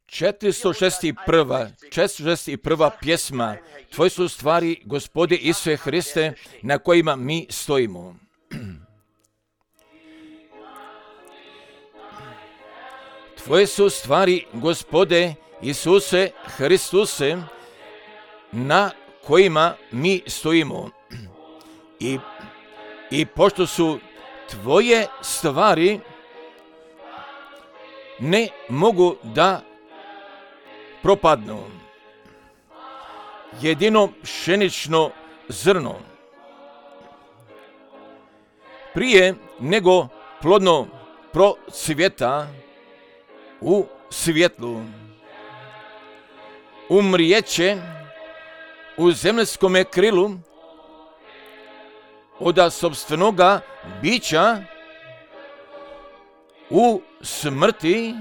461. pjesma. Tvoje su stvari, Gospode Isuse Hriste, na kojima mi stojimo. Tvoje su stvari, Gospode Isuse Hristuse, na kojima mi stojimo. I pošto su tvoje stvari, ne mogu da propadnu. Jedino pšenično zrno, prije nego plodno procvjeta u svjetlu, umrijeće u zemljskome krilu od sopstvenoga bića u smrti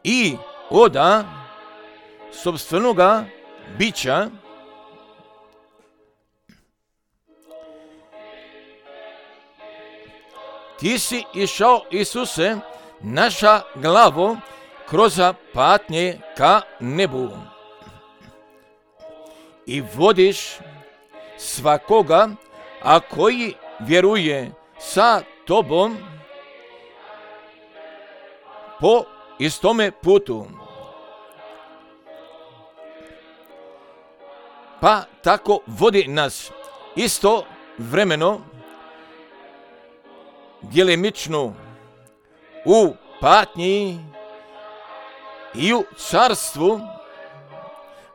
i od sopstvenoga bića ti si išao, Isuse, naša glavo, kroz patnje ka nebu i vodiš svakoga, a koji vjeruje sa tobom po istome putu. Pa tako vodi nas isto vremeno, djelimično u patnji i u carstvu,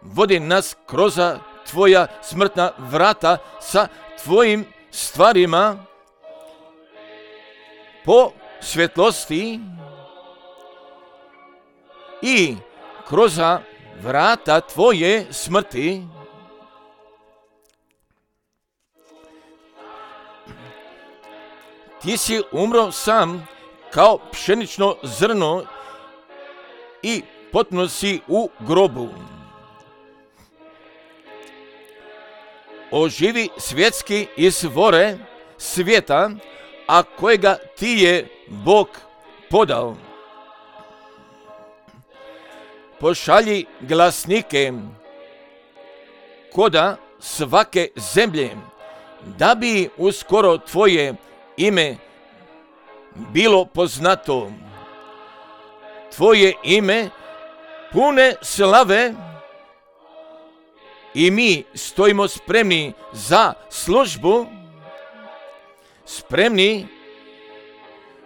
vodi nas kroz tvoja smrtna vrata sa tvojim stvarima po svjetlosti i kroz vrata tvoje smrti ti si umro sam kao pšenično zrno i potpuno si u grobu. Oživi svjetski izvore svijeta, a kojega ti je Bog podao. Pošalji glasnike koda svake zemlje, da bi uskoro tvoje ime bilo poznato. Tvoje ime pune slave i mi stojimo spremni za službu, spremni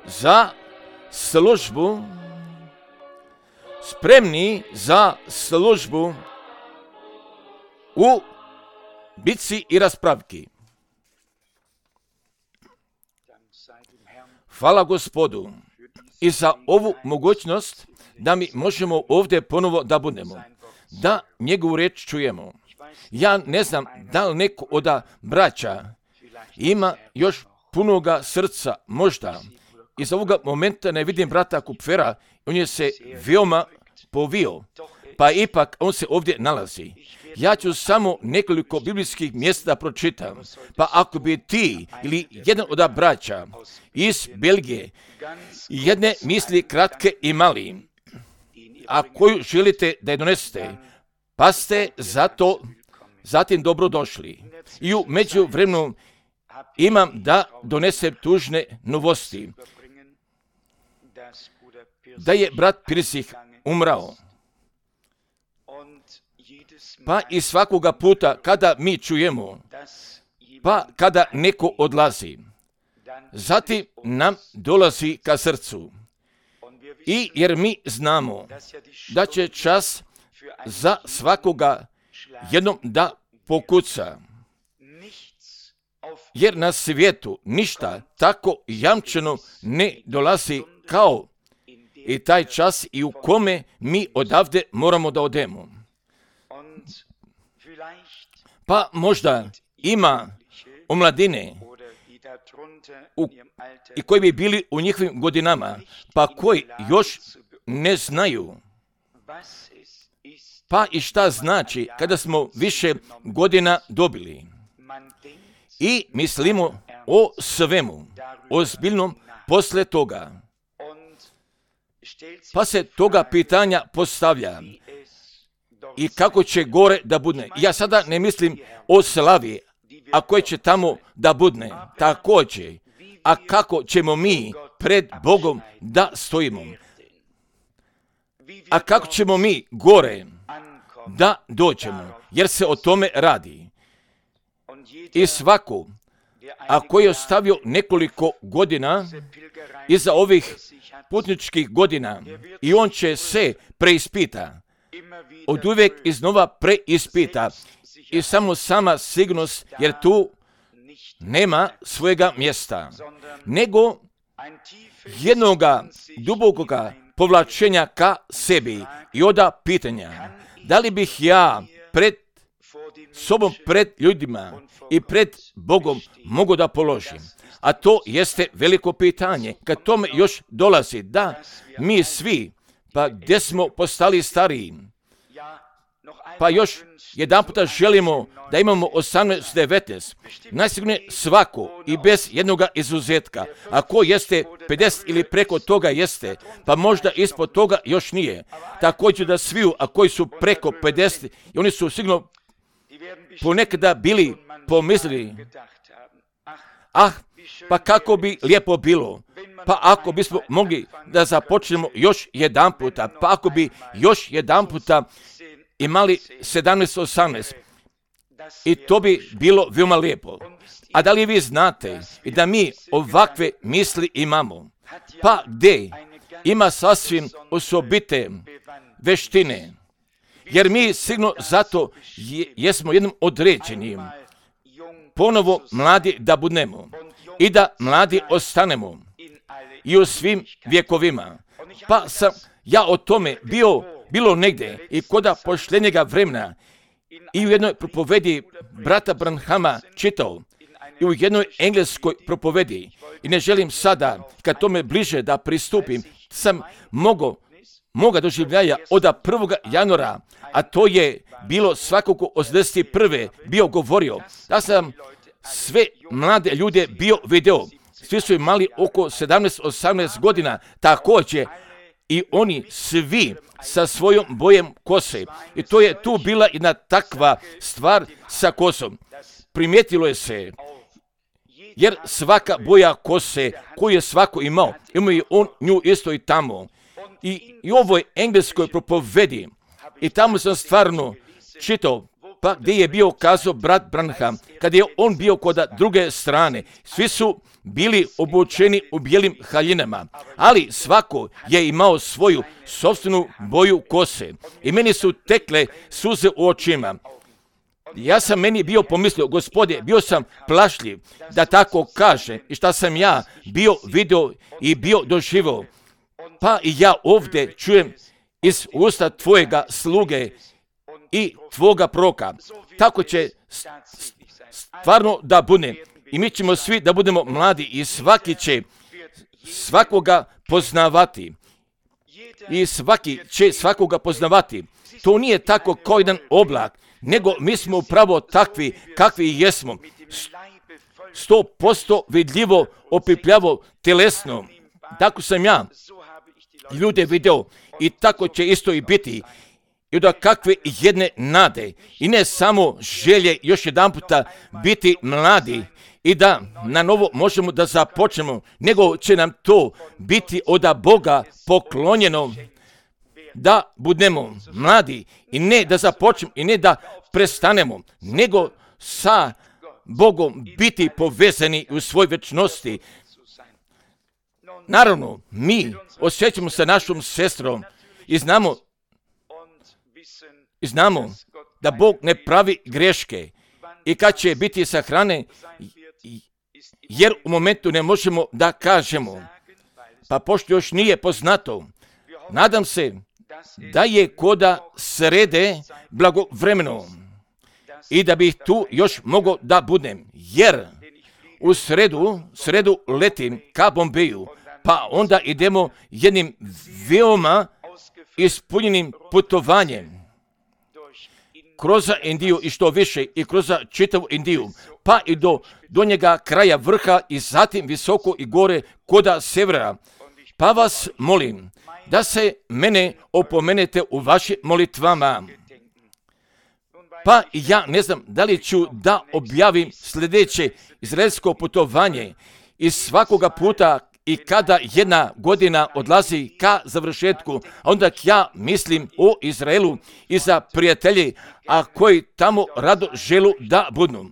za službu, spremni za službu u bitci i raspravki. Hvala Gospodu i za ovu mogućnost da mi možemo ovdje ponovo da budemo, da njegovu riječ čujemo. Ja ne znam da li neko od braća ima još punoga srca, možda. Iz ovoga momenta ne vidim brata Kupfera, on je se veoma povio, pa ipak on se ovdje nalazi. Ja ću samo nekoliko biblijskih mjesta pročitam, pa ako bi ti ili jedan od braća iz Belgije jedne misli kratke imali, a koju želite da je donesete, pa ste zato zatim dobro došli. I u međuvremenu imam da donesem tužne novosti, da je brat Pirsih umrao. Pa i svakoga puta kada mi čujemo, pa kada neko odlazi, zatim nam dolazi ka srcu. I jer mi znamo da će čas za svakoga jednom da pokuca. Jer na svijetu ništa tako jamčeno ne dolazi kao i taj čas i u kome mi odavde moramo da odemo. Pa možda ima omladine i koji bi bili u njihovim godinama, pa koji još ne znaju. Pa i šta znači kada smo više godina dobili i mislimo o svemu, ozbiljnom, posle toga, pa se toga pitanja postavlja i kako će gore da budne. Ja sada ne mislim o slavi, a koje će tamo da budne, također, a kako ćemo mi pred Bogom da stojimo, a kako ćemo mi gore da dođemo, jer se o tome radi. I svako, a koji je ostavio nekoliko godina iza ovih putničkih godina, i on će se preispita, od uvijek iznova preispita, i samo sama sigurnost, jer tu nema svojega mjesta, nego jednoga dubokoga povlačenja ka sebi i oda pitanja, da li bih ja pred sobom, pred ljudima i pred Bogom mogao da položim. A to jeste veliko pitanje. Kad tome još dolazi, da mi svi, pa gdje smo postali stariji, pa još jedan puta želimo da imamo 18-19, najsigurnije svako i bez jednoga izuzetka. Ako jeste 50 ili preko toga jeste, pa možda ispod toga još nije. Također da sviju, a koji su preko 50, i oni su sigurno ponekada bili pomislili, pa kako bi lijepo bilo, pa ako bismo mogli da započnemo još jedan puta, pa ako bi još jedan puta imali 17-18, i to bi bilo veoma lijepo. A da li vi znate i da mi ovakve misli imamo? Pa gdje ima sasvim osobite veštine, jer mi sigurno zato jesmo jednom određenim ponovo mladi da budemo i da mladi ostanemo i u svim vjekovima. Pa sam ja o tome bilo negdje i koda pošljenjega vremena i u jednoj propovedi brata Branhama čitao i u jednoj engleskoj propovedi, i ne želim sada kad tome bliže da pristupim, sam moga doživljaja od 1. januara, a to je bilo svakako 81. bio govorio, da sam sve mlade ljude bio video, svi su imali oko 17-18 godina također, i oni svi sa svojom bojem kose. I to je tu bila jedna takva stvar sa kosom. Primijetilo je se, jer svaka boja kose koju je svako imao je on nju isto i tamo. I ovoj engleskoj propovedi, i tamo sam stvarno čitao, pa gdje je bio kazao brat Branham, kad je on bio kod druge strane, svi su bili obučeni u bijelim haljinama, ali svako je imao svoju sopstvenu boju kose i meni su tekle suze u očima. Ja sam meni bio pomislio, Gospode, bio sam plašljiv da tako kaže, i šta sam ja bio video i bio doživio, pa i ja ovdje čujem iz usta tvojega sluge i tvoga proka. Tako će stvarno da bude. I mi ćemo svi da budemo mladi i svaki će svakoga poznavati. I svaki će svakoga poznavati. To nije tako kao jedan oblak, nego mi smo upravo takvi kakvi jesmo. 100% vidljivo, opipljavo, telesno. Tako sam ja ljude video i tako će isto i biti. I da kakve jedne nade i ne samo želje još jedan puta biti mladi i da na novo možemo da započnemo, nego će nam to biti od Boga poklonjeno da budemo mladi i ne da započnemo i ne da prestanemo, nego sa Bogom biti povezani u svoj večnosti. Naravno, mi osjećamo sa našom sestrom i znamo da Bog ne pravi greške i kad će biti sahrane, jer u momentu ne možemo da kažemo, pa pošto još nije poznato, nadam se da je koda srede blagovremeno i da bih tu još mogao da budem, jer u sredu letim ka Bombeju, pa onda idemo jednim veoma ispunjenim putovanjem kroz Indiju i što više i kroz čitavu Indiju, pa i do njega kraja vrha i zatim visoko i gore koda severa. Pa vas molim da se mene opomenete u vašim molitvama. Pa ja ne znam da li ću da objavim sljedeće izraelsko putovanje i svakoga puta i kada jedna godina odlazi ka završetku, onda ja mislim o Izraelu i za prijatelji, a koji tamo rado želu da budu.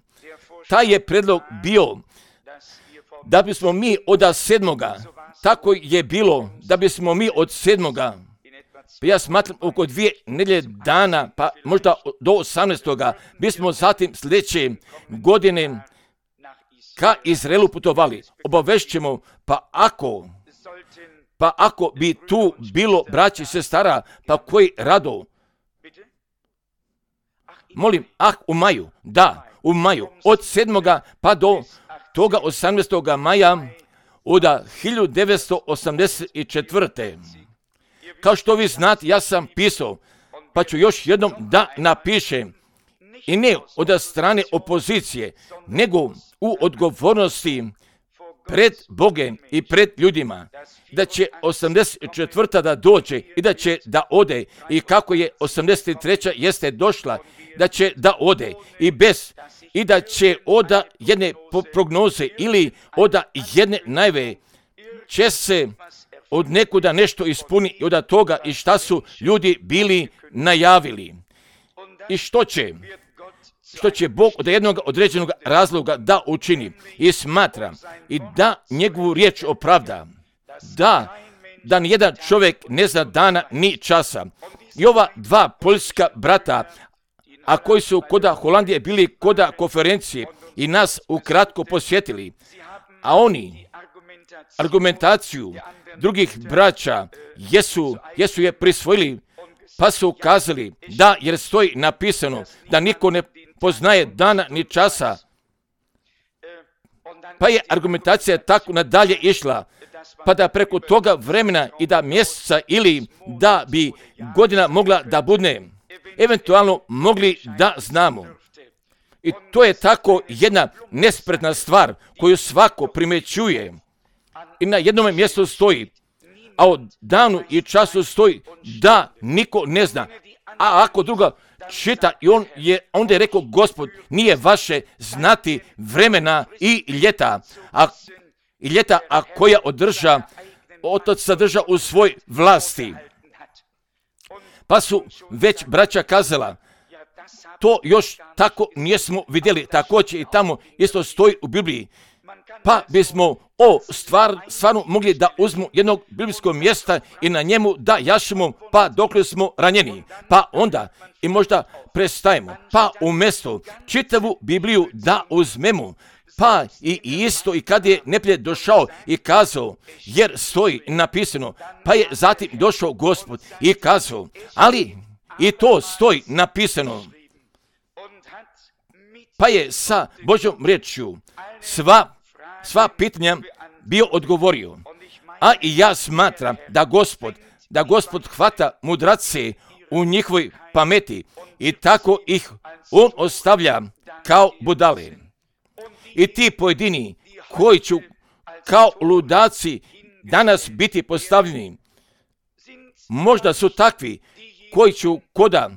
Taj je predlog bio da bismo mi od 7. Tako je bilo da bismo mi od 7. Ja smatram oko 2 nedjelje dana, pa možda do 18. bismo zatim sljedeće godine ka Izraelu putovali. Obavešćemo, pa ako bi tu bilo braći i sestara, pa koji rado. Molim, u maju, od 7. pa do toga 18. maja od 1984. Kao što vi znate, ja sam pisao, pa ću još jednom da napišem, i ne od strane opozicije, nego u odgovornosti pred Bogom i pred ljudima, da će 84. da dođe i da će da ode, i kako je 83. jeste došla, da će da ode i da će od jedne prognoze ili od jedne najave će se od nekuda nešto ispuni i od toga i šta su ljudi bili najavili. I što će Bog od jednog određenog razloga da učini i smatra i da njegovu riječ opravda. Da nijedan čovjek ne zna dana ni časa. I ova 2 poljska brata, a koji su koda Holandije bili koda konferencije i nas ukratko posjetili, a oni argumentaciju drugih braća jesu je prisvojili, pa su kazali da, jer stoji napisano da niko ne poznaje dana ni časa. Pa je argumentacija tako nadalje išla, pa da preko toga vremena i da mjeseca ili da bi godina mogla da bude, eventualno mogli da znamo. I to je tako jedna nespretna stvar koju svako primjećuje. I na jednom mjestu stoji, a o danu i času stoji da niko ne zna. A ako druga čita, i onda je rekao Gospod, nije vaše znati vremena i ljeta, a koja Otac sadrža u svoj vlasti. Pa su već braća kazala, to još tako nismo vidjeli, također i tamo isto stoji u Bibliji. Pa bismo stvarno mogli da uzmu jednog biblijskog mjesta i na njemu da jašemo, pa dokle smo ranjeni. Pa onda i možda prestajemo, pa umjesto čitavu Bibliju da uzmemo. Pa i isto i kad je neprijatelj došao i kazao, jer stoji napisano, pa je zatim došao Gospod i kazao, ali i to stoji napisano. Pa je sa Božjom riječju sva pitanja bio odgovorio. A i ja smatram da Gospod hvata mudrace u njihovoj pameti i tako ih on ostavlja kao budale. I ti pojedini koji će kao ludaci danas biti postavljeni, možda su takvi koji će koda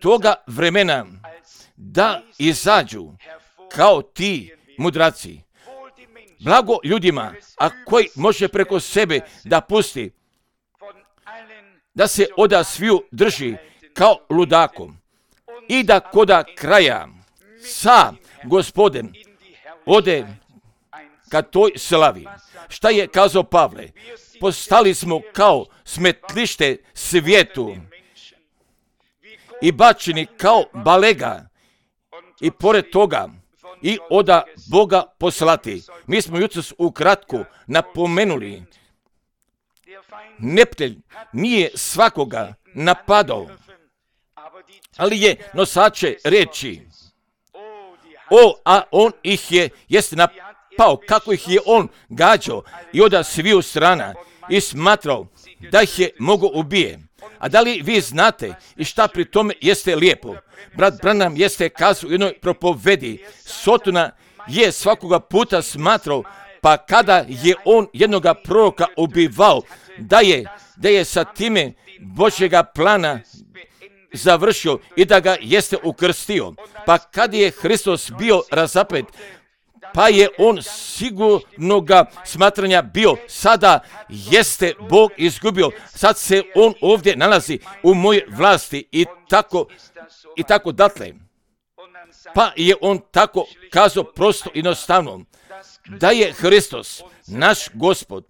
toga vremena da izađu kao ti mudraci. Blago ljudima, a koji može preko sebe da pusti, da se oda sviju drži kao ludakom i da koda kraja sa Gospodem ode ka toj slavi. Šta je kazao Pavle? Postali smo kao smetlište svijetu i bačeni kao balega i pored toga i oda Boga poslati. Mi smo jutros ukratko napomenuli, neprijatelj nije svakoga napadao, ali je nosače riječi. A on ih jest napao, kako ih je on gađao i oda sviju strana i smatrao da ih je mogo ubije. A da li vi znate i šta pri tome jeste lijepo? Brat Branham jeste kazao u jednoj propovedi, Sotona je svakoga puta smatrao, pa kada je on jednoga proroka ubivao, da je sa time Božjega plana završio i da ga jeste ukrstio. Pa kad je Hristos bio razapet, pa je on sigurnoga smatranja bio, sada jeste Bog izgubio, sad se on ovdje nalazi u mojoj vlasti i tako datle. Pa je on tako kazao prosto i jednostavno, da je Hristos, naš Gospod,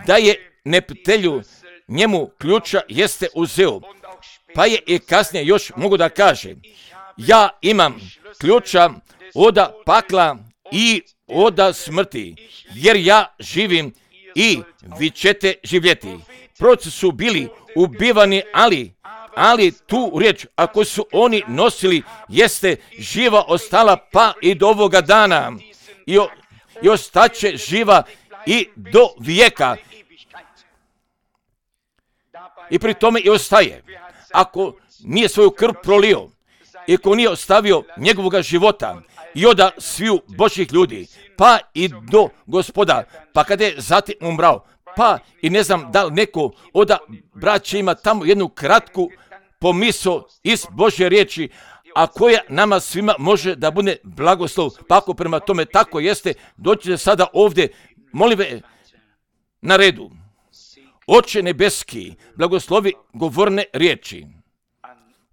da je neprijatelju njemu ključa jeste uzeo. Pa je i kasnije još mogu da kaže, ja imam ključa oda pakla i oda smrti, jer ja živim i vi ćete živjeti. Proroci su bili ubivani, ali tu riječ, ako su oni nosili, jeste živa ostala pa i do ovoga dana i ostaće živa i do vijeka. I pri tome i ostaje. Ako nije svoju krv prolio i ako nije ostavio njegovoga života i oda sviju Božjih ljudi, pa i do Gospoda, pa kada je zatim umrao, pa i ne znam da li neko oda braća ima tamo jednu kratku pomisao iz Božje riječi, a koja nama svima može da bude blagoslov, pa ako prema tome tako jeste, dođite sada ovdje, molim ve, na redu. Oče nebeski, blagoslovi govorne riječi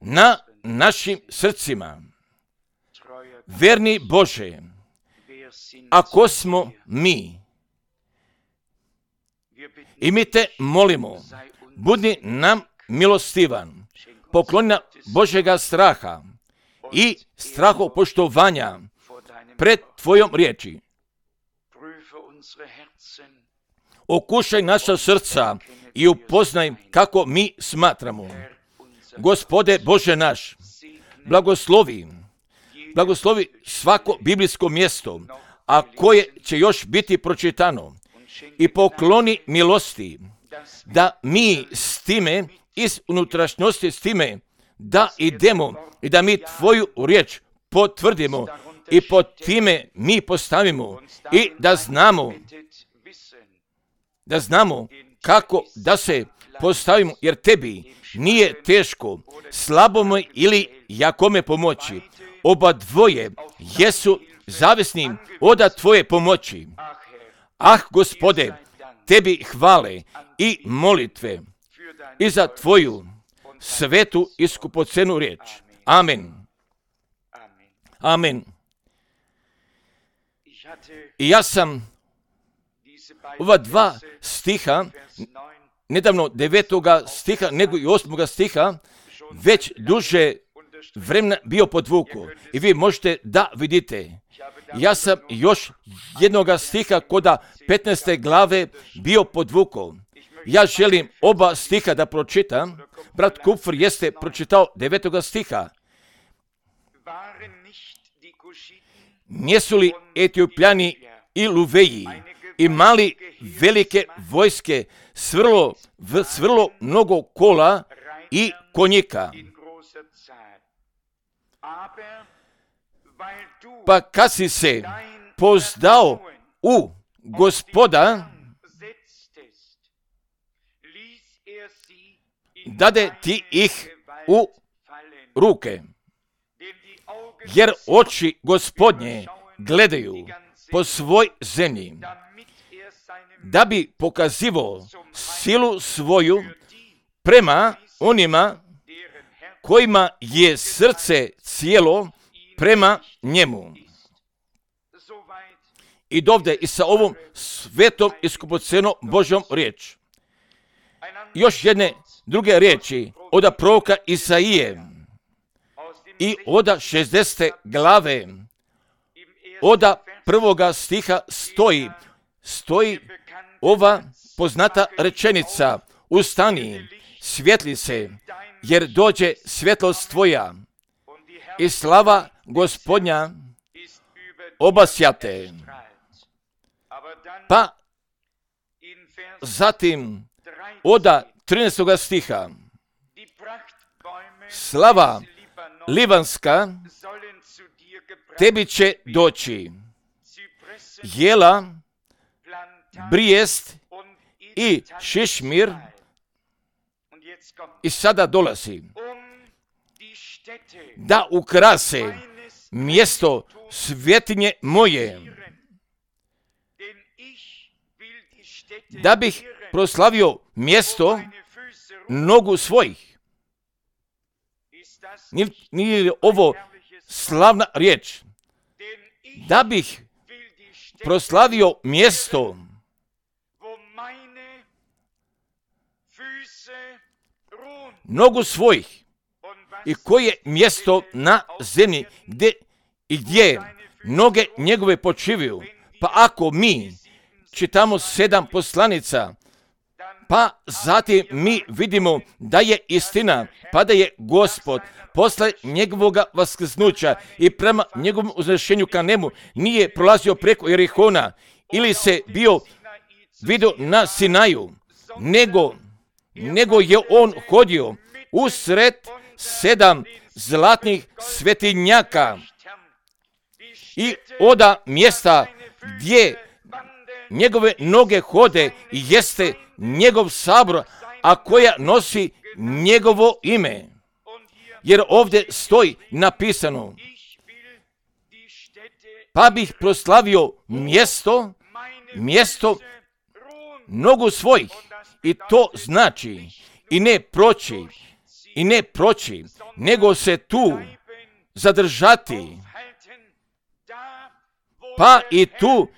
na našim srcima. Verni Bože, ako smo mi, i mi te molimo, budi nam milostivan, pokloni nam Božjega straha i strahopoštovanja pred Tvojom riječi. Okušaj naša srca i upoznaj kako mi smatramo. Gospode Bože naš, blagoslovi svako biblijsko mjesto, a koje će još biti pročitano, i pokloni milosti, da mi s time, iz unutrašnjosti s time, da idemo i da mi Tvoju riječ potvrdimo i po time mi postavimo i da znamo kako da se postavimo, jer Tebi nije teško slabome ili jakome pomoći. Oba dvoje jesu zavisni od Tvoje pomoći. Gospode, Tebi hvale i molitve i za Tvoju svetu i skupocenu riječ. Amen. Amen. I ja sam ova dva stiha, nedavno 9. stiha, nego i 8. stiha, već duže vremena bio podvuku. I vi možete da vidite. Ja sam još jednoga stiha koda 15. glave bio podvuku. Ja želim oba stiha da pročitam. Brat Kupfer jeste pročitao 9. stiha. Nisu li Etiopljani i Luveji imali velike vojske, svrlo mnogo kola i konjika? Pa kad si se pozdao u Gospoda, dade ti ih u ruke, jer oči Gospodnje gledaju po svoj zemlji, da bi pokazivao silu svoju prema onima kojima je srce cijelo prema njemu. I dovde i sa ovom svetom i skupocenom Božjom riječ. Još jedne druge riječi od proroka Isaije i od 60. glave od 1. stiha stoji ova poznata rečenica: ustani, svijetli se, jer dođe svjetlost tvoja i slava Gospodnja obasjate. Pa zatim od 13. stiha slava libanska tebi će doći. Jela, Brijest i Šišmir. I sada dolazi da ukrase mjesto svetinje moje, da bih proslavio mjesto nogu svojih. Nije li ovo slavna riječ? Da bih proslavio mjesto nogu svojih. I koje mjesto na zemlji gdje noge njegove počivaju. Pa ako mi čitamo 7 poslanica, pa zatim mi vidimo da je istina, pa da je Gospod posle njegovog vaskrsnuća i prema njegovom uznešenju ka nebu nije prolazio preko Jerihona ili se bio vidio na Sinaju, nego je on hodio usred 7 zlatnih svetinjaka i oda mjesta gdje njegove noge hode jeste njegov sabor, a koja nosi njegovo ime. Jer ovdje stoji napisano, pa bih proslavio mjesto nogu svojih. I to znači i ne proći, nego se tu zadržati. Pa i tu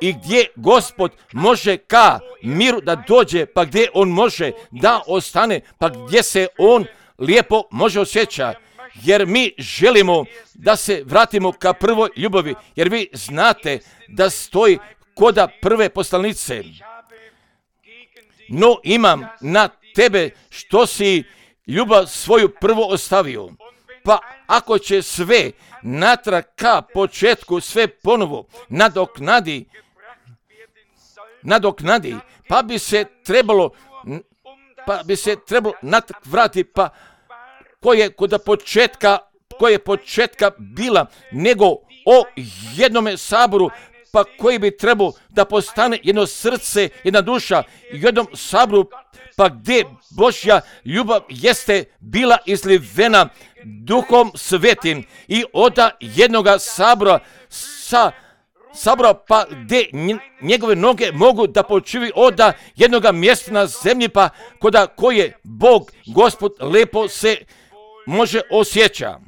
i gdje Gospod može ka miru da dođe, pa gdje on može da ostane, pa gdje se on lijepo može osjeća. Jer mi želimo da se vratimo ka prvoj ljubavi, jer vi znate da stoji koda prve poslanice. No imam na tebe što si ljubav svoju prvo ostavio. Pa ako će sve natrag ka početku sve ponovo nadoknadi, pa bi se trebalo natrag vratiti, pa koje početka bila, nego o jednome saboru, pa koji bi trebao da postane jedno srce, jedna duša, jednom saboru, pa gdje Božja ljubav jeste bila izlivena Duhom Svetim i od jednoga sabora pa gdje njegove noge mogu da počivaju od jednoga mjesta na zemlji, pa koda koje Bog, Gospod, lepo se može osjeća.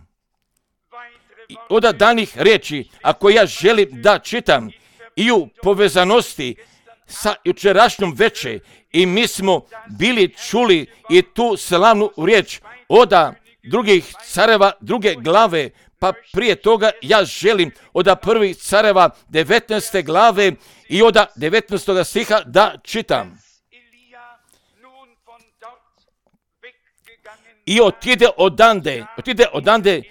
Od danih riječi, ako ja želim da čitam i u povezanosti sa jučerašnjom večer, i mi smo bili čuli i tu slavnu riječ od drugih careva, druge glave, pa prije toga ja želim od prvih careva 19. glave i od 19. stiha da čitam. I otide odande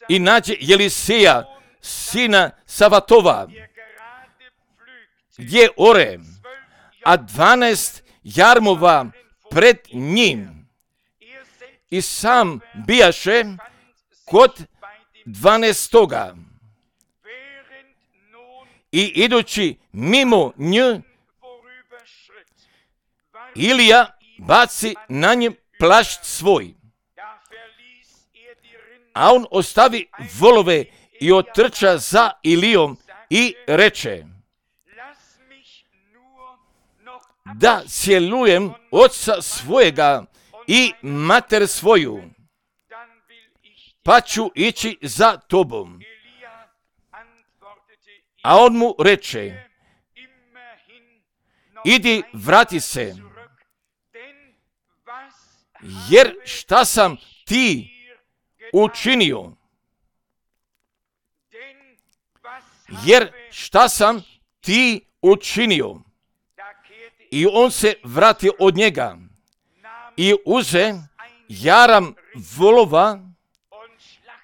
i nađe Eliseja, sina Savatova, gdje ore, a 12 jarmova pred njim. I sam bijaše kod 12. I idući mimo nje, Ilija baci na njem plašt svoj. A on ostavi volove i otrča za Ilijom i reče, da cjelujem oca svojega i mater svoju, pa ću ići za tobom. A on mu reče, idi, vrati se, jer šta sam ti učinio? I on se vratio od njega i uze jaram volova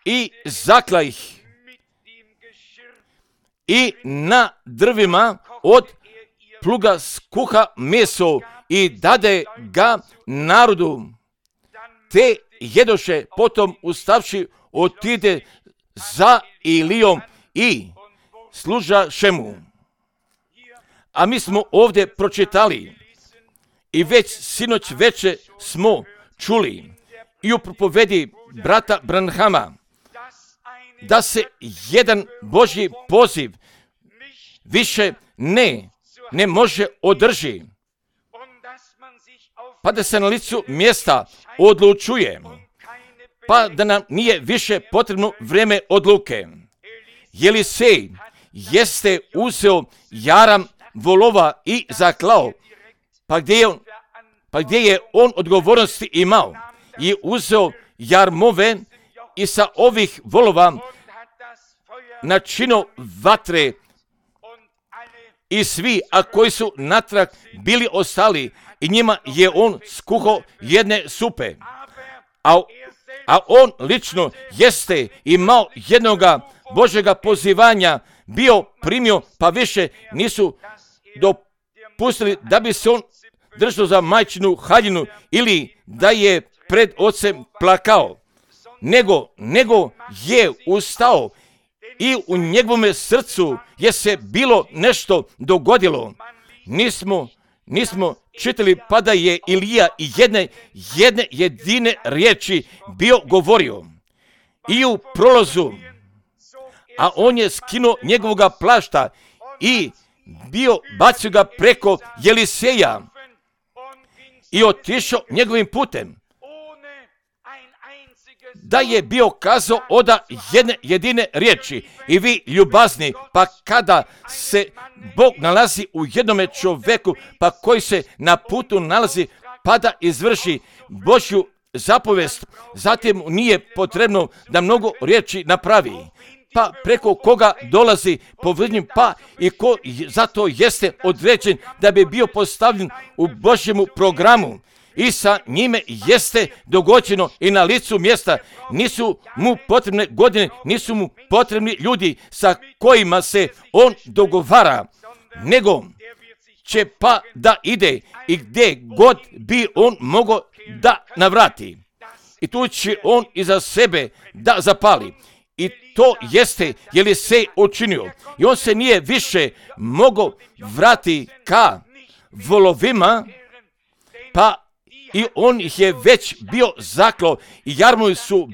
i zakla ih i na drvima od pluga skuha meso i dade ga narodu. Te jedoše, potom ustavši otide za Ilijom i služaše mu. A mi smo ovdje pročitali i već sinoć veče smo čuli i u propovedi brata Branhama da se jedan Božji poziv više ne može održi, pa da se na licu mjesta odlučuje, pa da nam nije više potrebno vrijeme odluke. Jelisej jeste uzeo jaram volova i zaklao, pa gdje je on odgovornosti imao i uzeo jarmove i sa ovih volova načinio vatre i svi, a koji su natrag bili ostali, i njima je on skuhao jedne supe. A on lično jeste imao jednoga Božjega pozivanja, bio primio, pa više nisu dopustili da bi se on držao za majčinu haljinu ili da je pred ocem plakao, nego je ustao i u njegovome srcu je se bilo nešto dogodilo. Nismo čitali pa da je Ilija jedne jedine riječi bio govorio i u prolazu, a on je skinuo njegovoga plašta i bacio ga preko Jeliseja i otišao njegovim putem. Da je bio kazao oda jedne jedine riječi. I vi ljubazni, pa kada se Bog nalazi u jednome čovjeku, pa koji se na putu nalazi, pa da izvrši Božju zapovest, zatim nije potrebno da mnogo riječi napravi. Pa preko koga dolazi povrednjim, pa i ko zato jeste određen da bi bio postavljen u Božjemu programu. I sa njime jeste dogođeno i na licu mjesta. Nisu mu potrebne godine, nisu mu potrebni ljudi sa kojima se on dogovara, nego će pa da ide i gdje god bi on mogao da navrati. I tu će on iza sebe da zapali. I to jeste Jelisej učinio. I on se nije više mogao vrati ka volovima, pa i on ih je već bio zaklao i jarmovi su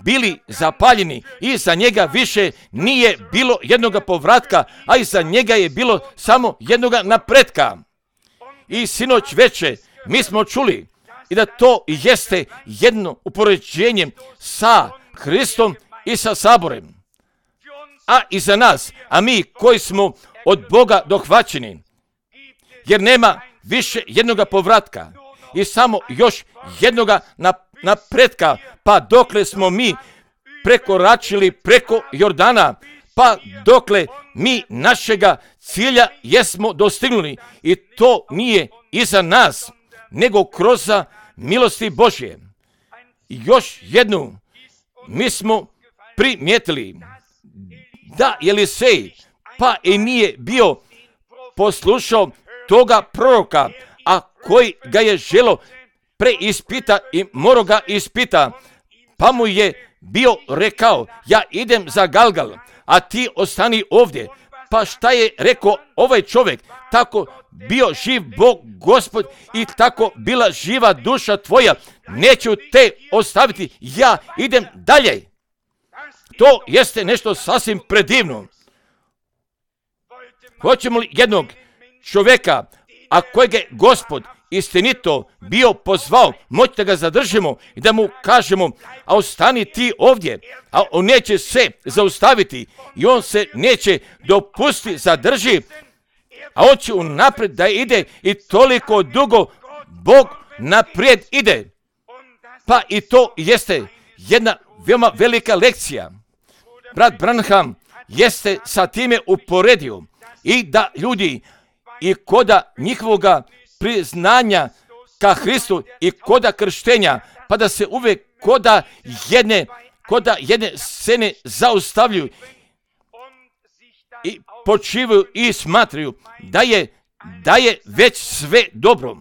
bili zapaljeni i za njega više nije bilo jednoga povratka, a i za njega je bilo samo jednoga napretka. I sinoć veče mi smo čuli i da to jeste jedno upoređenje sa Hristom i sa saborem. A i za nas, a mi koji smo od Boga dohvaćeni, jer nema više jednoga povratka i samo još jednoga napretka, pa dokle smo mi prekoračili preko Jordana, pa dokle mi našega cilja jesmo dostignuli, i to nije iza nas, nego kroz milosti Božje. Još jednu mi smo primijetili da Jelisej pa i nije bio poslušao toga proroka, a koji ga je želo preispita i morao ga ispita, pa mu je bio rekao: ja idem za Galgal, a ti ostani ovdje. Pa šta je rekao ovaj čovjek? Tako bio živ Bog Gospod i tako bila živa duša tvoja, neću te ostaviti, ja idem dalje. To jeste nešto sasvim predivno. Hoćemo li jednog čovjeka, a kojeg je Gospod istinito bio pozvao, moći da ga zadržimo i da mu kažemo: a ostani ti ovdje, a on neće se zaustaviti i on se neće dopustiti zadrži, a on će unaprijed da ide i toliko dugo Bog naprijed ide. Pa i to jeste jedna veoma velika lekcija. Brat Branham jeste sa time uporedio i da ljudi i koda njihovoga priznanja ka Hristu i koda krštenja, pa da se uvijek koda jedne scene zaustavljaju i počivaju i smatraju da je već sve dobro.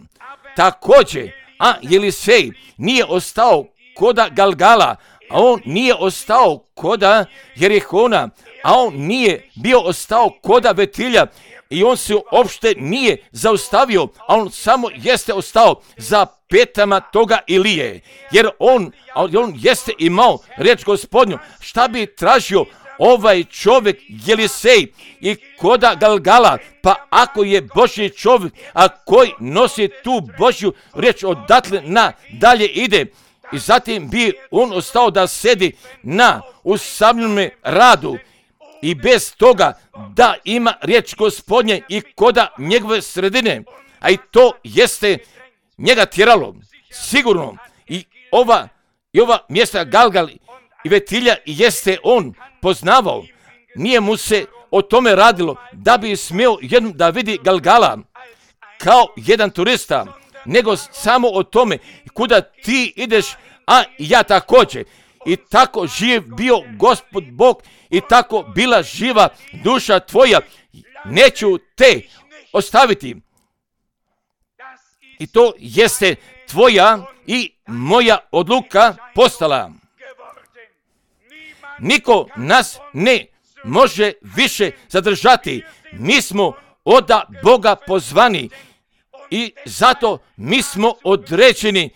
Također, A Jelisej nije ostao koda Galgala, a on nije ostao koda Jerihona, a on nije bio ostao koda Vetilja i on se uopšte nije zaustavio, a on samo jeste ostao za petama toga Ilije, jer on jeste imao reč Gospodnju. Šta bi tražio ovaj čovjek Jelisej i koda Galgala? Pa ako je Božji čovjek, a koji nosi tu Božju reč, odatle na dalje ide. I zatim bi on ostao da sedi na usamljenome radu i bez toga da ima riječ Gospodnje i koda njegove sredine. A i to jeste njega tjeralo, sigurno. I ova mjesta Galgal i Vetilja jeste on poznavao. Nije mu se o tome radilo da bi smio jednom da vidi Galgala kao jedan turista, nego samo o tome kuda ti ideš, a ja također. I tako živ bio Gospod Bog i tako bila živa duša tvoja. Neću te ostaviti. I to jeste tvoja i moja odluka postala. Niko nas ne može više zadržati. Mi smo od Boga pozvani i zato mi smo određeni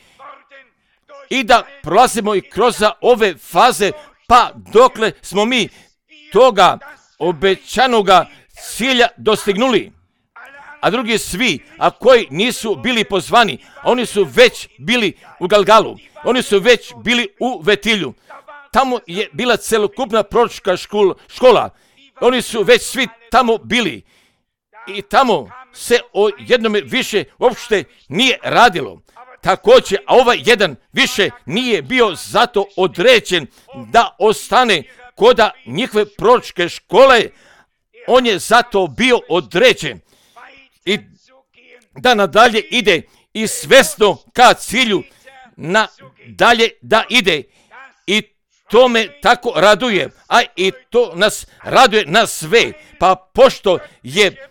i da prolazimo i kroz ove faze, pa dokle smo mi toga obećanoga cilja dostignuli. A drugi svi, a koji nisu bili pozvani, oni su već bili u Galgalu, oni su već bili u Vetilju. Tamo je bila celokupna proročka škola. Oni su već svi tamo bili. I tamo se o jednome više uopšte nije radilo. Također, a ovaj jedan više nije bio zato određen da ostane koda njihove proročke škole. On je zato bio određen i da nadalje ide i svesno ka cilju nadalje da ide. I to me tako raduje, a i to nas raduje na sve. Pa pošto je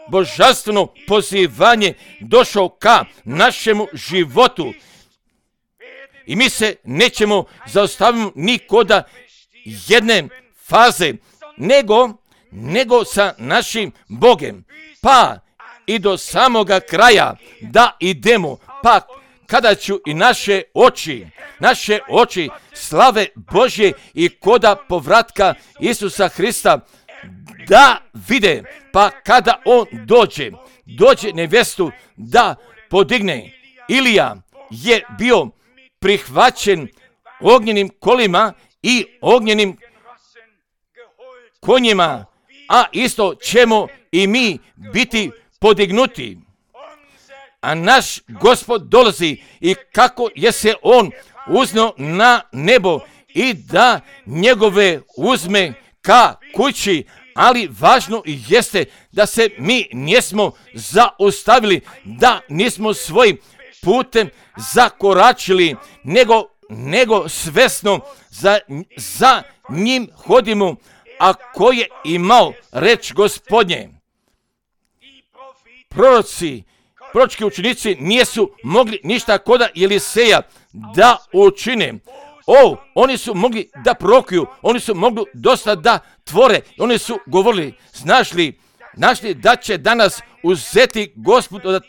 božanstveno pozivanje došao ka našemu životu i mi se nećemo zaustaviti ni koda jedne faze, nego sa našim Bogem, pa i do samoga kraja da idemo, pa kada ću i naše oči slave Božje i koda povratka Isusa Hrista da vide, pa kada on dođe nevestu da podigne. Ilija je bio prihvaćen ognjenim kolima i ognjenim konjima, a isto ćemo i mi biti podignuti. A naš Gospod dolazi i kako je se on uzneo na nebo i da njegove uzme ka kući, ali važno jeste da se mi nismo zaustavili, da nismo svojim putem zakoračili, nego svesno za njim hodimo, a ko je imao reč Gospodnje. Proročki učenici nisu mogli ništa koda Jeliseja da učine. Oni su mogli da prorokuju, oni su mogli dosta da tvore, oni su govorili, znaš li da će danas uzeti Gospod od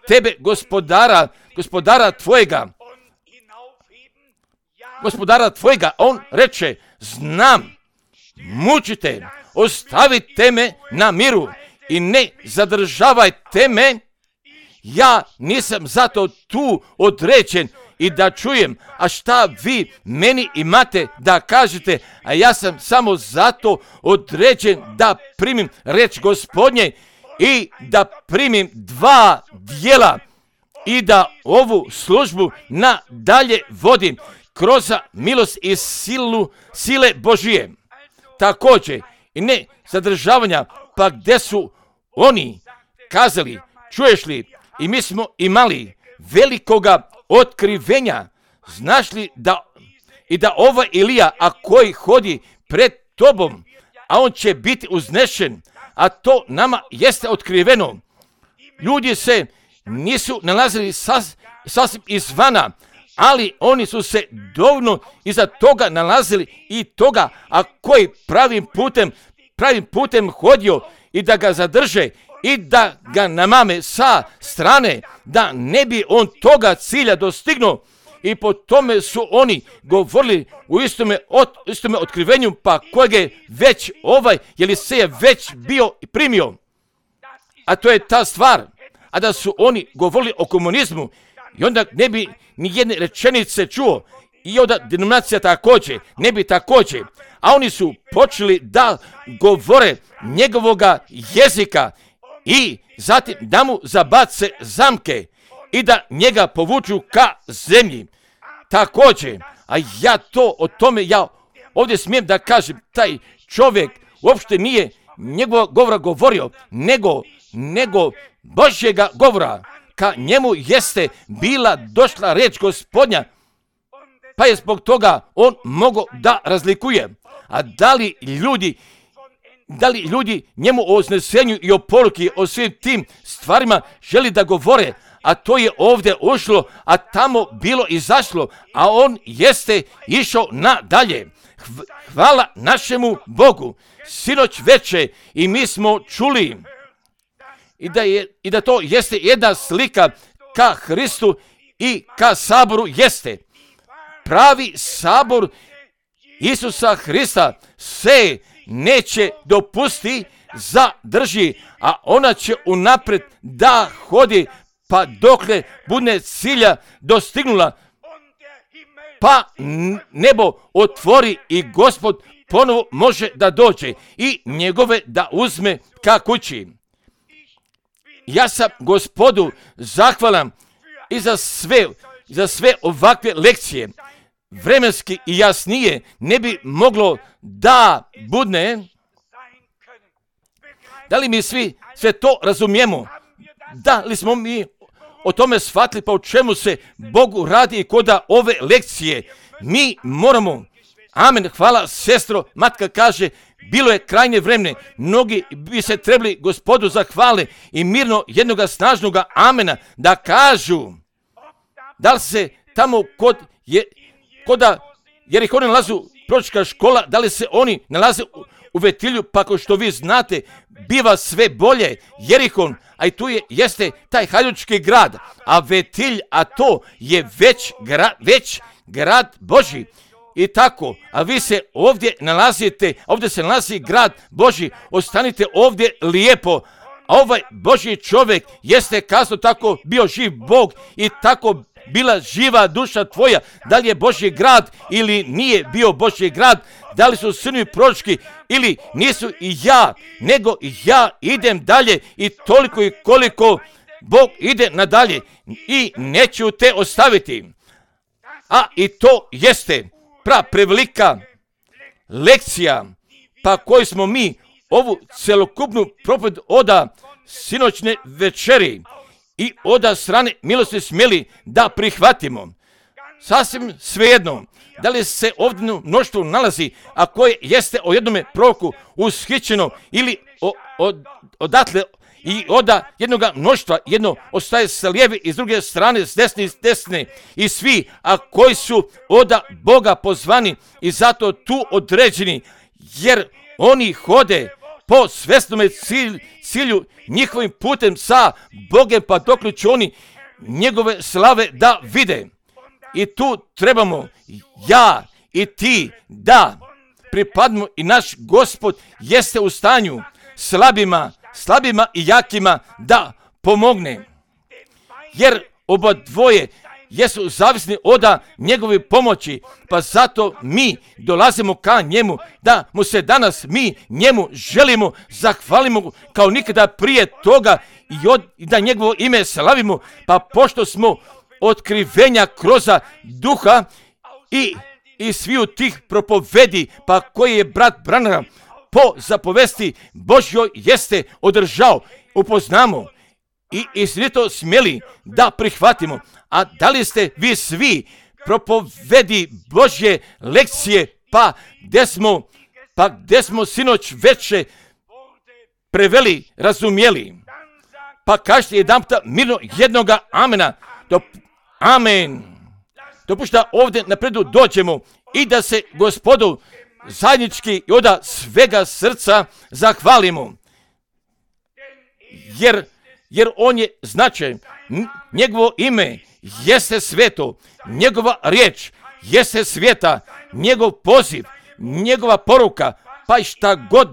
tebe gospodara tvojega. On reče, znam, mučite, ostavite me na miru i ne zadržavajte me. Ja nisam zato tu određen i da čujem, a šta vi meni imate da kažete, a ja sam samo zato određen da primim reč Gospodnje i da primim 2 dijela i da ovu službu nadalje vodim kroz milost i sile Božije. Također i ne zadržavanja, pa gdje su oni kazali, čuješ li, i mi smo imali velikoga otkrivenja, znaš li da ova Ilija, a koji hodi pred tobom, a on će biti uznešen, a to nama jeste otkriveno. Ljudi se nisu nalazili sasvim izvana, ali oni su se dovoljno iza toga nalazili i toga, a koji pravim putem hodio i da ga zadrže i da ga namame sa strane, da ne bi on toga cilja dostignuo. I po tome su oni govorili u istome otkrivenju, pa kojeg je već Eliseja već bio i primio. A to je ta stvar. A da su oni govorili o komunizmu i onda ne bi ni jedne rečenice čuo. I onda denominacija također, ne bi također. A oni su počeli da govore njegovoga jezika i zatim da mu zabace zamke i da njega povuču ka zemlji. Također, a ja ovdje smijem da kažem, taj čovjek uopšte nije njegova govora govorio, nego Božjega govora. Ka njemu jeste bila došla reč Gospodnja, pa je zbog toga on mogao da razlikuje. A da li ljudi njemu o uznesenju i o poruki, o svim tim stvarima želi da govore, a to je ovdje ušlo, a tamo bilo izašlo, a on jeste išao nadalje. Hvala našemu Bogu. Sinoć veče i mi smo čuli i da to jeste jedna slika ka Hristu i ka saboru jeste. Pravi sabor Isusa Hrista se neće dopusti zadrži, a ona će unapred da hodi pa dokle bude cilja dostignula, pa nebo otvori i Gospod ponovo može da dođe i njegove da uzme ka kući. Ja sam Gospodu zahvalan i za sve ovakve lekcije. Vremenski i jasnije ne bi moglo da bude. Da li mi svi sve to razumijemo? Da li smo mi o tome shvatili, pa o čemu se Bogu radi i koda ove lekcije? Mi moramo, amen, hvala sestro, matka kaže, bilo je krajnje vremena, mnogi bi se trebali Gospodu zahvale i mirno jednoga snažnoga amena da kažu. Da li se tamo koda Jerihona nalazu proročka škola, da li se oni nalaze u Vetilju, pa kao što vi znate, biva sve bolje. Jerihon, a i tu jeste taj hajdučki grad, a Vetilj, a to je već grad Božji. I tako, a vi se ovdje nalazite, ovdje se nalazi grad Božji, ostanite ovdje lijepo. A ovaj Božji čovjek jeste kasno tako bio živ Bog i tako bila živa duša tvoja. Da li je Božji grad ili nije bio Božji grad, da li su sinovi proročki ili nisu, i ja, nego ja idem dalje i toliko i koliko Bog ide nadalje i neću te ostaviti. A i to jeste prevelika lekcija, pa koju smo mi ovu celokupnu propoved oda sinoćne večeri i oda strane milosti smjeli da prihvatimo. Sasvim svejedno, da li se ovdje mnoštvo nalazi, a koje jeste o jednome proroku ushićeno ili odatle i oda jednoga mnoštva, jedno ostaje sa lijeve i s druge strane, s desne i s desne, i svi, a koji su oda Boga pozvani i zato tu određeni, jer oni hode po svesnome cilju njihovim putem sa Bogem, pa dokle će oni njegove slave da vide. I tu trebamo ja i ti da pripadimo i naš Gospod jeste u stanju slabima i jakima da pomogne. Jer oba dvoje jesu zavisni od njegove pomoći, pa zato mi dolazimo ka njemu, da mu se danas mi njemu želimo zahvalimo kao nikada prije toga i da njegovo ime slavimo, pa pošto smo otkrivenja kroz duha i sviju tih propovedi, pa koji je brat Branham po zapovesti Božjoj jeste održao, upoznamo i istinito smjeli da prihvatimo. A da li ste vi svi propovedi Božje lekcije, pa gdje smo sinoć veče preveli, razumjeli? Pa kažete jedanputa mirno jednoga amena. Amen. Dopušta ovdje napredu dođemo i da se Gospodu zajednički i od svega srca zahvalimo. Jer on je značajan. Njegovo ime jeste sveto. Njegova riječ jeste sveta. Njegov poziv, njegova poruka, pa i šta god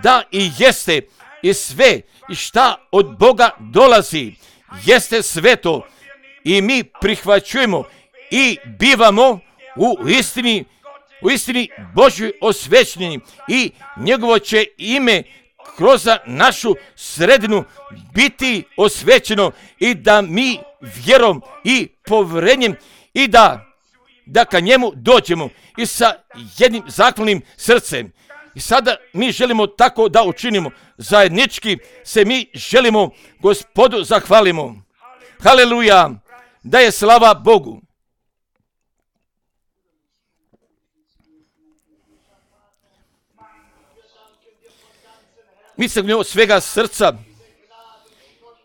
da i jeste i sve i šta od Boga dolazi jeste sveto i mi prihvaćujemo i bivamo u istini Božjoj osvećeni i njegovo će ime kroz našu sredinu biti osvećeno i da mi vjerom i povjerenjem i da ka njemu dođemo i sa jednim zahvalnim srcem. I sada mi želimo tako da učinimo. Zajednički se mi želimo Gospodu zahvalimo. Haleluja! Da je slava Bogu. Mi se od svega srca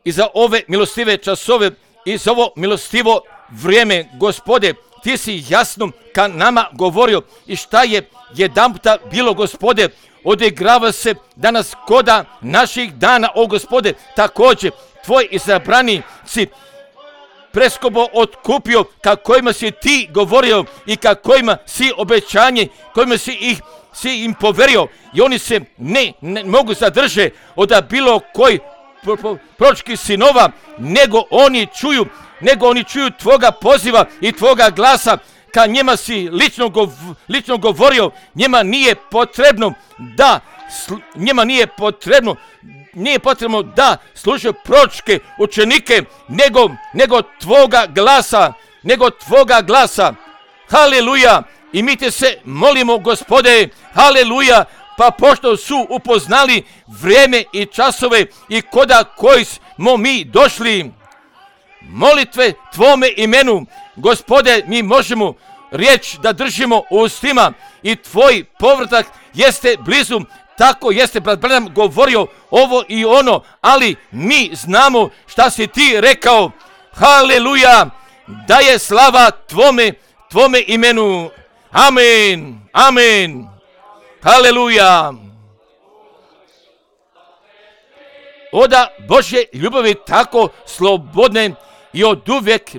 i za ove milostive časove i za ovo milostivo vrijeme, Gospode, ti si jasno ka nama govorio i šta je jedanputa bilo, Gospode, odigrava se danas koda naših dana, o Gospode, također tvoj izabranici preskobo otkupio, ka kojima si ti govorio i ka kojima si obećanje, kojima si im poverio i oni se ne mogu zadrže od bilo koji proročkih sinova, nego oni čuju tvoga poziva i tvoga glasa, ka njima si lično govorio. Nije potrebno da služe proročke učenike, nego tvoga glasa. Haleluja! I mi te se molimo, Gospode, haleluja, pa pošto su upoznali vrijeme i časove i koda koji smo mi došli, molitve tvome imenu, Gospode, mi možemo riječ da držimo u ustima i tvoj povratak jeste blizu. Tako jeste brat Branham govorio ovo i ono, ali mi znamo šta si ti rekao. Haleluja, da je slava tvome imenu. Amen, amen. Haleluja. Oda Božje ljubavi tako slobodne i od uvek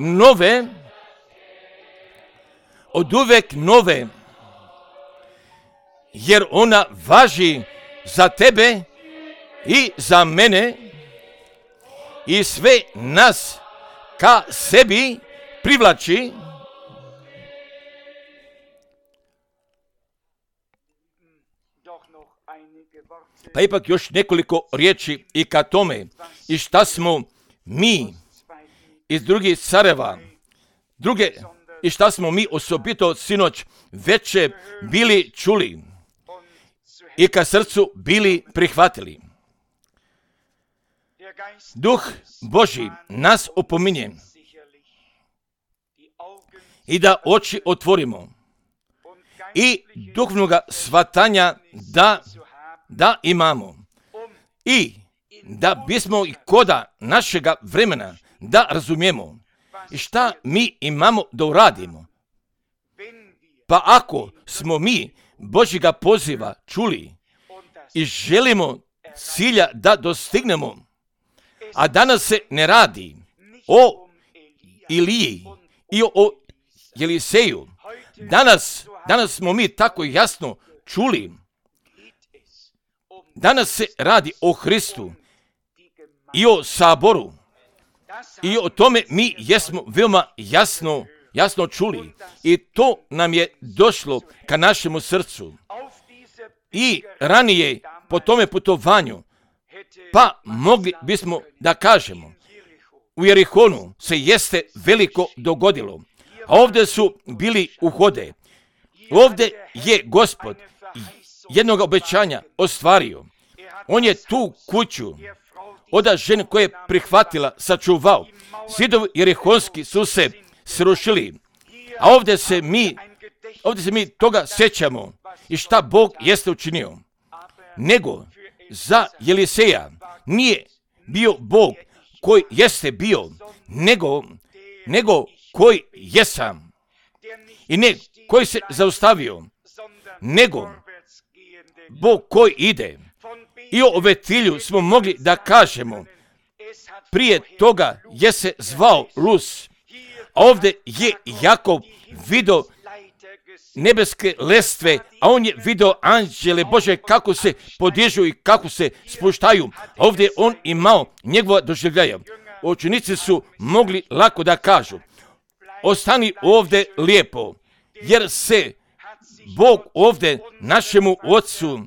nove, jer ona važi za tebe i za mene i sve nas ka sebi privlači. Pa ipak još nekoliko riječi i ka tome i šta smo mi iz drugih careva, i šta smo mi osobito sinoć veće bili čuli i ka srcu bili prihvatili. Duh Božji nas opominje i da oči otvorimo i duhovnoga shvatanja da imamo i da bismo i koda našega vremena da razumijemo i šta mi imamo da uradimo. Pa ako smo mi Božjega poziva čuli i želimo cilja da dostignemo, a danas se ne radi o Iliji i o Eliseju, danas smo mi tako jasno čuli, danas se radi o Hristu i o saboru i o tome mi jesmo veoma jasno čuli i to nam je došlo ka našemu srcu. I ranije po tome putovanju, pa mogli bismo da kažemo, u Jerihonu se jeste veliko dogodilo, a ovdje su bili uhode. Ovdje je Gospod jednog obećanja ostvario. On je tu kuću od žene koje je prihvatila, sačuvao. Zidovi jerihonski su se srušili, a ovdje se mi toga sjećamo i šta Bog jeste učinio. Nego za Eliseja bio Bog koji jeste bio, nego koji jesam. I ne koji se zaustavio, nego Bog koji ide. I o Betilju smo mogli da kažemo, prije toga je se zvao Luz, a ovdje je Jakov vidio nebeske lestve, a on je vidio anđele Bože kako se podižu i kako se spuštaju. A ovdje on imao njegova doživljaja. Učenici su mogli lako da kažu, ostani ovdje lijepo, jer se Bog ovdje našemu ocu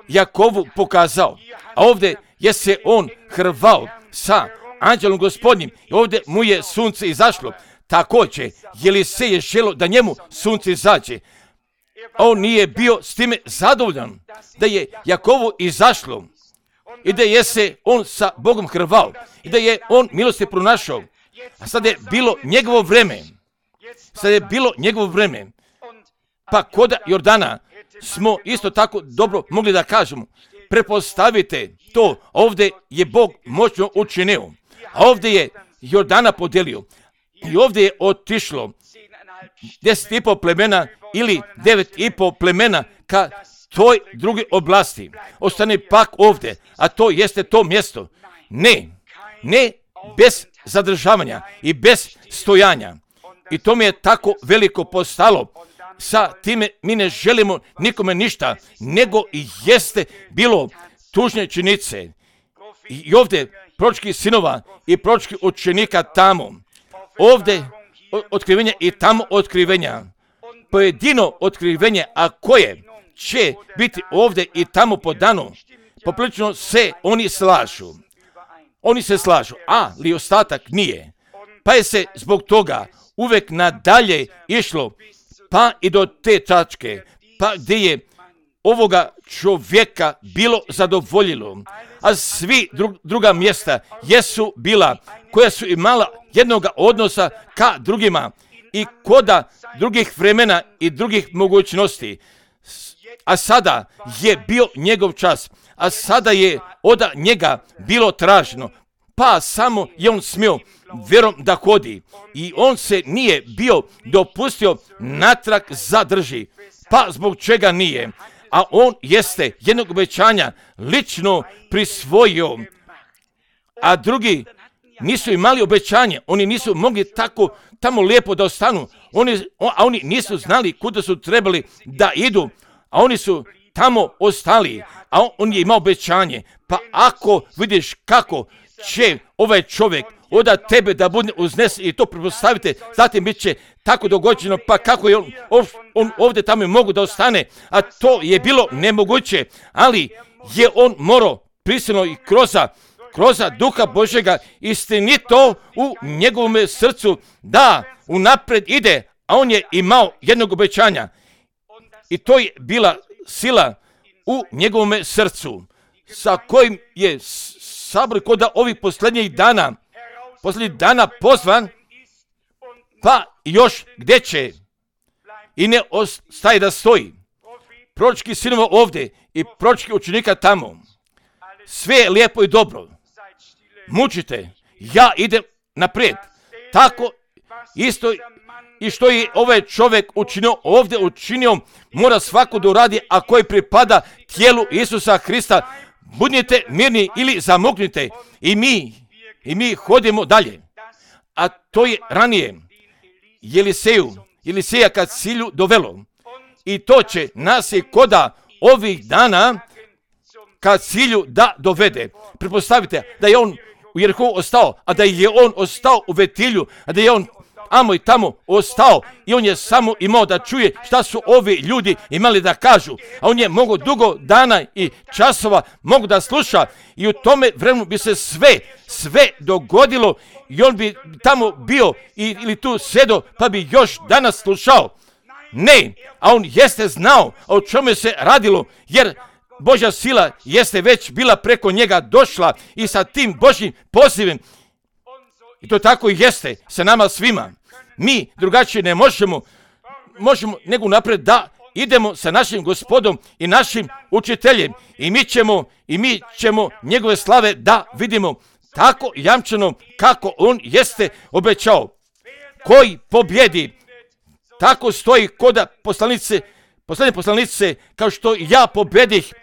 Jakovu pokazao. A ovdje je se on hrvao sa anđelom Gospodnjim i ovdje mu je sunce izašlo. Također, Jelisej je želio da njemu sunce izađe. On nije bio s time zadovoljan da je Jakovu izašlo i da je se on sa Bogom hrvao i da je on milosti pronašao. A sad je bilo njegovo vreme. Pa kod Jordana smo isto tako dobro mogli da kažemo, prepostavite to, ovdje je Bog moćno učinio, a ovdje je Jordana podelio i ovdje je otišlo 10,5 plemena ili 9,5 plemena ka toj druge oblasti. Ostane pak ovdje, a to jeste to mjesto. Ne bez zadržavanja i bez stojanja. I to mi je tako veliko postalo. Sa time mi ne želimo nikome ništa, nego i jeste bilo tužne činjenice. I ovdje proročkih sinova i proročkih učenika tamo. Ovdje otkrivenja i tamo otkrivenja. Pojedino otkrivenje, a koje će biti ovdje i tamo po danu, poprilično se oni slažu. Oni se slažu, ali ostatak nije. Pa je se zbog toga uvek nadalje išlo, pa i do te tačke, pa gdje je ovoga čovjeka bilo zadovoljilo, a svi druga mjesta jesu bila, koja su imala jednoga odnosa ka drugima i koda drugih vremena i drugih mogućnosti. A sada je bio njegov čas, a sada je od njega bilo traženo, pa samo je on smio vjerom da hodi i on se nije bio dopustio natrag zadrži. Pa zbog čega nije? A on jeste jednog obećanja lično prisvojio, a drugi nisu imali obećanje, oni nisu mogli tako tamo lijepo da ostanu, oni nisu znali kuda su trebali da idu, a oni su tamo ostali, a on je imao obećanje. Pa ako vidiš kako će ovaj čovjek od tebe da bude uznesen i to pretpostavite, zatim bit će tako dogođeno, pa kako je on ovdje tamo mogu da ostane, a to je bilo nemoguće, ali je on morao prisilno i kroz Duha Božjega istinito u njegovom srcu da unapred ide, a on je imao jednog obećanja i to je bila sila u njegovom srcu sa kojim je sabor kod ovih posljednjih dana pozvan, pa još gdje će i ne ostaje da stoji. Proročki sinova ovdje i proročki učenika tamo. Sve je lijepo i dobro. Mučite, ja idem naprijed. Tako isto i što je ovaj čovjek učinio, mora svako da uradi, a koji pripada tijelu Isusa Hrista. Budite mirni ili zamuknite i mi hodimo dalje. A to je ranije Jeliseja kad cilju dovelo. I to će nas i koda ovih dana kad cilju da dovede. Pretpostavite da je on u Jerihu ostao, a da je on ostao u Betilju, a da je on amo i tamo ostao i on je samo imao da čuje šta su ovi ljudi imali da kažu, a on je mogao dugo dana i časova mogu da sluša i u tome vremenu bi se sve dogodilo i on bi tamo bio ili tu sedo pa bi još danas slušao. Ne, a on jeste znao o čemu se radilo, jer Božja sila jeste već bila preko njega došla i sa tim Božjim pozivom. I to tako i jeste sa nama svima. Mi drugačije ne možemo nego napred da idemo sa našim Gospodom i našim učiteljem i mi ćemo njegove slave da vidimo tako jamčeno kako on jeste obećao. Koji pobjedi, tako stoji koda poslednje poslanice, kao što ja pobjedih,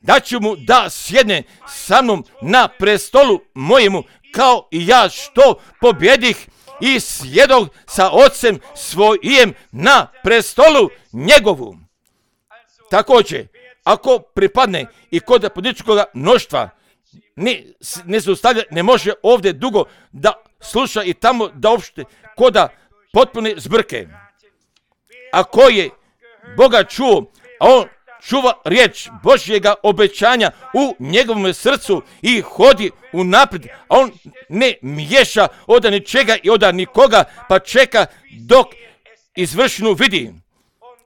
da ću mu da sjedne sa mnom na prestolu mojemu, kao i ja što pobjedih i sjedog sa ocem svojim na prestolu njegovu. Također, ako pripadne i kod političkog mnoštva, ne zaustavlja, ne može ovdje dugo da sluša i tamo da opšte koda potpune zbrke. Ako je Boga čuo, a on čuva riječ Božjega obećanja u njegovom srcu i hodi unaprijed, a on ne miješa od ničega i od nikoga, pa čeka dok izvršnu vidi.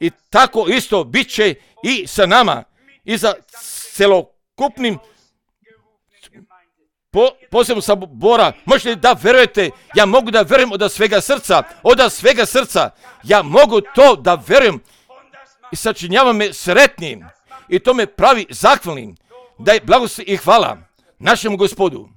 I tako isto bit će i sa nama i za celokupnim posebno sabora. Možete li da verujete? Ja mogu da verujem od svega srca. Ja mogu to da verujem i sačinjava me sretnim i to me pravi zahvalnim. Da je blagoslov i hvala našemu Gospodu.